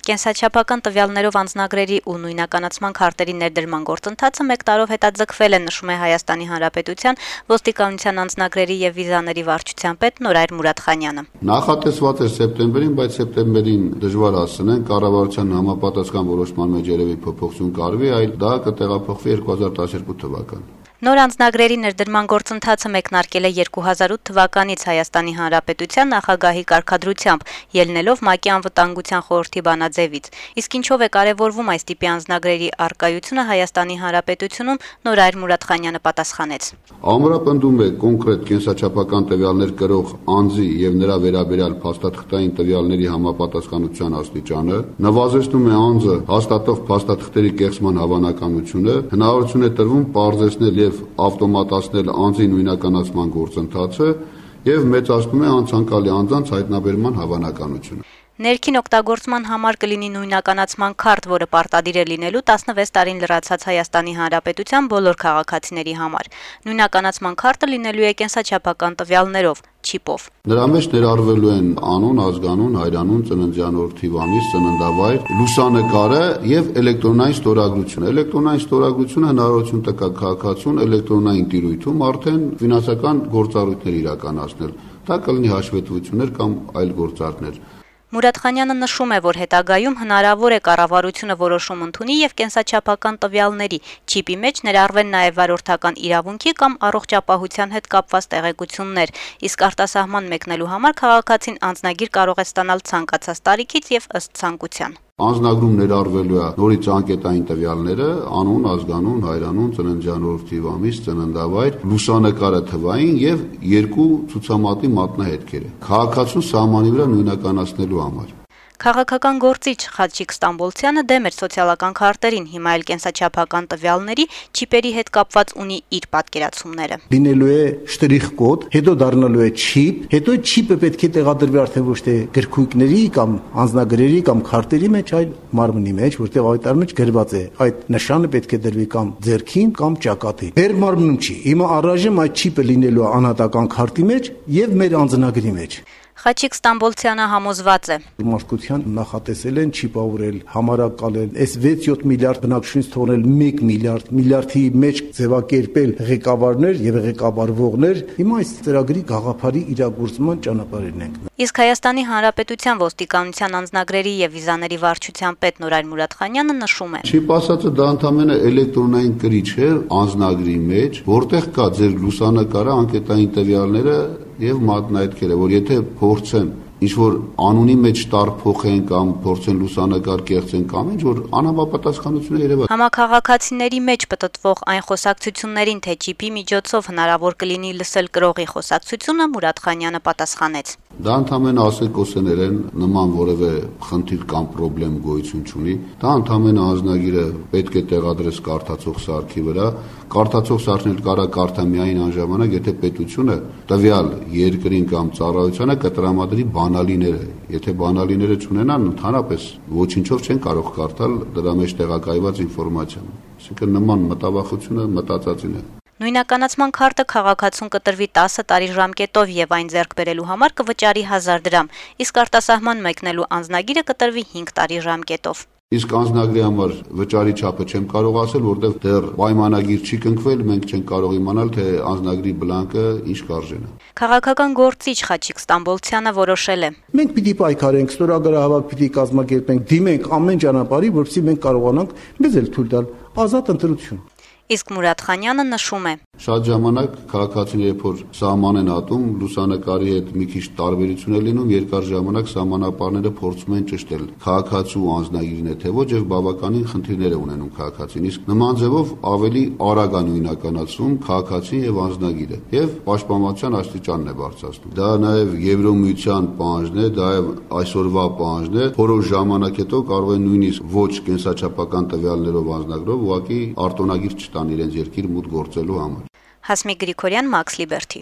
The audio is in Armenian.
Կենսաչափական տվյալներով անձնագրերի ու նույնականացման քարտերի ներդրման գործընթացը 1 տարով հետաձգվել է, նշում է Հայաստանի Հանրապետության ոստիկանության անձնագրերի եւ վիզաների վարչության պետ Նորայր Մուրադխանյանը։ Նախատեսված էր սեպտեմբերին, բայց սեպտեմբերին դժվար ասցնեն, կառավարության համապատասխան որոշման մեջ երևի փոփոխություն կարվի, այլ դա կտեղափոխվի 2012 թվական։ Նոր անձնագրերի ներդրման գործընթացը մեկնարկել է 2008 թվականից Հայաստանի Հանրապետության նախագահի կարգադրությամբ, ելնելով ՄԱԿ-ի անվտանգության խորհրդի բանաձևից։ Իսկ ինչով է կարևորվում այս տիպի անձնագրերի առկայությունը Հայաստանի Հանրապետությունում, Նորայր Մուրադխանյանը պատասխանեց։ Ամրապնդում է կոնկրետ կենսաչափական տվյալներ կրող անձի եւ նրա վերաբերյալ փաստաթղթային տվյալների համապատասխանության աստիճանը, նվազեցնում է անձը հաստատող փաստաթղթերի կեղծման հավանականությունը, հնարավորություն է տրվում պարզեցնել եւ ավտոմատացնել անձի նույնականացման գործընթացը եւ մեծացնում է անցանկալի անձանց հայտնաբերման հավանականությունը։ Ներքին օգտագործման համար կլինի նույնականացման քարտ, որը պարտադիր է լինելու 16 տարին լրացած Հայաստանի Հանրապետության բոլոր քաղաքացիների համար։ Նույնականացման քարտը լինելու է կենսաչափական տվյալներով, չիպով։ Նրա մեջ ներառվելու են անուն, ազգանուն, հայրանուն, ծննդյան օր, թիվ, ամիս, ծննդավայր, լուսանկարը եւ էլեկտրոնային ստորագրությունը։ Էլեկտրոնային ստորագրությունը հնարավորություն տա քաղաքացուն էլեկտրոնային տիրույթում արդեն ֆինանսական գործառույթներ իրականացնել։ Դա կլինի հաշվետվություններ կամ այլ գործարքներ։ Մուրադխանյանը նշում է, որ հետագայում հնարավոր է կառավարությունը որոշում ընդունի եւ կենսաչափական տվյալների չիպի մեջ ներառվեն նաեւ վարորդական իրավունքի կամ առողջապահության հետ կապված տեղեկություններ, իսկ արտասահման մեկնելու համար քաղաքացին անձնագիր կարող է ստանալ ցանկացած տարիքից եւ ըստ ցանկության։ Անձնագրում ներառվելու է նորից անկետային տվյալները, անուն, ազգանուն, հայրանուն, ծննդյան օր, թիվ, ամիս, ծննդավայր, լուսանկարը թվային եւ 2 ցուցամատի մատնահետքերը։ Քաղաքացուն սահմանի վրա նույնականացնելու համար։ Քաղաքական գործիչ Խաչիկ Ստամբոլցյանը դեմ էր սոցիալական քարտերին, հիմա էլ կենսաչափական տվյալների չիպերի հետ կապված ունի իր պատկերացումները։ Լինելու է շտրիխ կոդ, հետո դառնալու է չիպ, հետո չիպը պետք է տեղադրվի արդեն ոչ թե գրքույկների կամ անձնագրերի կամ քարտերի մեջ, այլ մարմնի մեջ, որտեղ այդ մեջ գրված է այդ նշանը պետք է դրվի կամ ձեռքին կամ ճակատին։ Մեր մարմնում չի։ Հիմա առայժմ այդ չիպը լինելու է անհատական քարտի մեջ եւ մեր անձնագրի մեջ։ Խաչիկ Ստամբոլցյանը համոզված է։ Մարդկության նախատեսել են չիպավորել, համարակալել, այս 6-7 միլիարդ բնակչությունից թողնել 1 միլիարդի մեջ ձևակերպել ղեկավարներ եւ ղեկավարվողներ։ Հիմա այս ծրագրի գաղափարի իրագործման ճանապարհին ենք։ Իսկ Հայաստանի Հանրապետության ոստիկանության անձնագրերի եւ վիզաների վարչության պետ Նորայր Մուրադխանյանը նշում է. Չիպ ասածը դա ընդհանրապես էլեկտրոնային կրիչ է անձնագրի մեջ, որտեղ կա ձեր լուսանկարը, անկետային տվյալները եւ մատնահետքերը, որ եթե փորձեն ինչ-որ անունի մեջ տարփոխեն կամ փորձեն լուսանկար կեղծեն կամ ինչ-որ անհամապատասխանություն է երևա։ Համակարգացիների մեջ պտտվող այն խոսակցություններին, թե չիպի միջոցով հնարավոր կլինի լսել կրողի խոսակցությունը, Մուրադխանյանը պատասխանեց. Դա ընդհանրապես ասեկոսներ են, նման որևէ խնդիր կամ խնդրեմ գոյություն չունի։ Դա ընդհանրապես անձնագիրը պետք է տեղադրես կարդացող սարքի վրա։ Կարդացող սարքն էլ կարա կարդա միայն այն ժամանակ, եթե պետությունը տվյալ երկրին կամ ծառայությանը կտրամադրի բանալիները։ Եթե բանալիները չունենան, ընդհանրապես ոչինչով չեն կարող կարդալ դրա մեջ տեղակայված ինֆորմացիան։ Այսինքն նման մտավախությունը մտածածին է։ Նույնականացման քարտը քաղաքացուն կտրվի 10 տարի ժամկետով եւ այն ձեռք բերելու համար կվճարի 1000 դրամ, իսկ արտասահման մեկնելու անձնագիրը կտրվի 5 տարի ժամկետով։ Իսկ անձնագրի համար վճարի չափը չեմ կարող ասել, որտեղ դեռ պայմանագիր չի կնքվել, մենք չենք կարող իմանալ, թե անձնագրի բլանկը ինչ կարժեն է։ Քաղաքական գործիչ Խաչիկ Ստամբոլցյանը որոշել է. Մենք պիտի պայքարենք, ստորագրահավաք պիտի կազմակերպենք, դիմենք ամեն ճանապարհի, որպեսզի մենք կարողանանք մեզ էլ թույլ տալ ազատ ընտրություն։ Իսկ Մուրադխանյանը նշում է. Շատ ժամանակ քաղաքացիները երբ որ սահման են ատում, լուսանկարի հետ մի քիչ տարբերություն է լինում, երկար ժամանակ սահմանապարները փորձում են ճշտել քաղաքացու անձնագիրն է թե ոչ եւ բավականին խնդիրներ է ունենում քաղաքացին։ Իսկ նման ձևով ավելի արագ է նույնականացում քաղաքացին եւ անձնագիրը եւ պաշտպանության աստիճանն է բարձրացնում։ Դա նաեւ Եվրոմիության պահանջն է, դա այսօրվա պահանջն է, որոշ ժամանակ հետո կարող են նույնիսկ ոչ կենսաչափական տվյալներով անձնագրով ուղղակի արտոնագիր չտան իրենց երկիր մուտք գործելու համար։ Հասմիկ Գրիգորյան, Մաքս Լիբերթի։